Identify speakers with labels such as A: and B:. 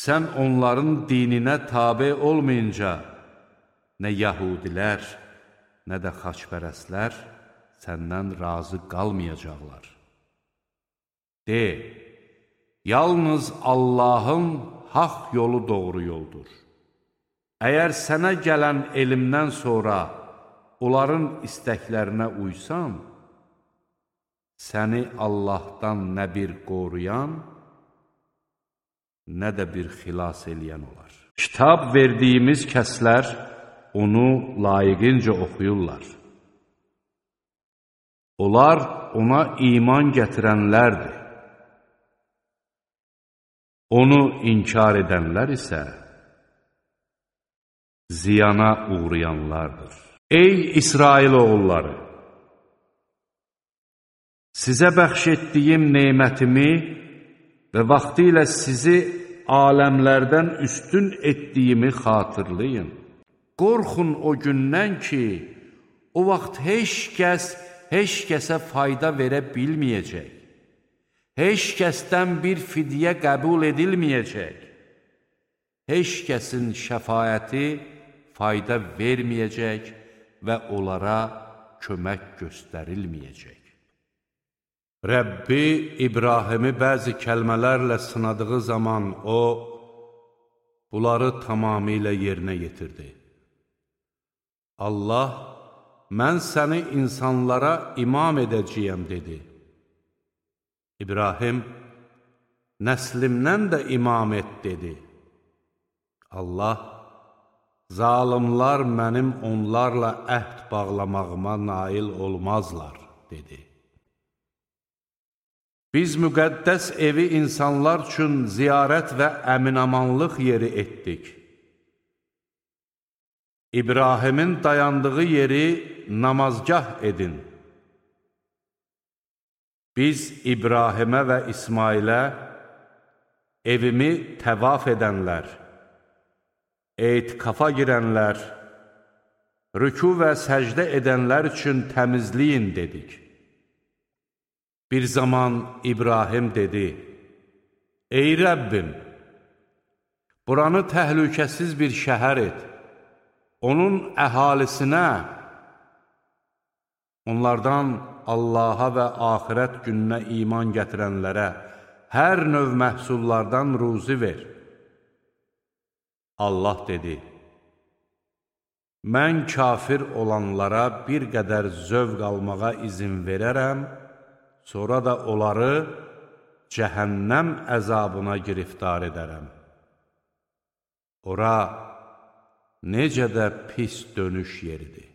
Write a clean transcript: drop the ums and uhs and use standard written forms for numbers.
A: sən onların dininə tabe olmayınca, nə yəhudilər, nə də xaçpərəstlər səndən razı qalmayacaqlar. De, yalnız Allahın haqq yolu doğru yoldur. Əgər sənə gələn elmdən sonra onların istəklərinə uysan, səni Allahdan nə bir qoruyan, nə də bir xilas eləyən olar. Kitab verdiyimiz kəslər onu layiqincə oxuyurlar. Onlar ona iman gətirənlərdir. Onu inkar edənlər isə ziyana uğrayanlardır. Ey İsrail oğulları! Sizə bəxş etdiyim nemətimi və vaxtilə sizi aləmlərdən üstün etdiyimi xatırlayın. Qorxun o gündən ki, o vaxt heç kəsə fayda verə bilməyəcək. Heç kəsdən bir fidyə qəbul edilməyəcək. Heç kəsin şəfaəti fayda verməyəcək və onlara kömək göstərilməyəcək. Rəbbi İbrahimi bəzi kəlmələrlə sınadığı zaman o, bunları tamamilə yerinə yetirdi. Allah, mən səni insanlara imam edəcəyəm, dedi. İbrahim, nəslimdən də imam et, dedi. Allah, zalimlar mənim onlarla əhd bağlamağıma nail olmazlar, dedi. Biz müqəddəs evi insanlar üçün ziyarət və əminamanlıq yeri etdik. İbrahimin dayandığı yeri namazgah edin. Biz İbrahimə və İsmailə evimi təvaf edənlər, etikafa girənlər, rüku və səcdə edənlər üçün təmizləyin dedik. Bir zaman İbrahim dedi, ey Rəbbim, buranı təhlükəsiz bir şəhər et, onun əhalisinə, onlardan Allaha və axirət gününə iman gətirənlərə hər növ məhsullardan ruzi ver. Allah dedi, mən kafir olanlara bir qədər zövq almağa izin verərəm, sonra da onları cəhənnəm əzabına giriftar edərəm. Ora necə də pis dönüş yeridir.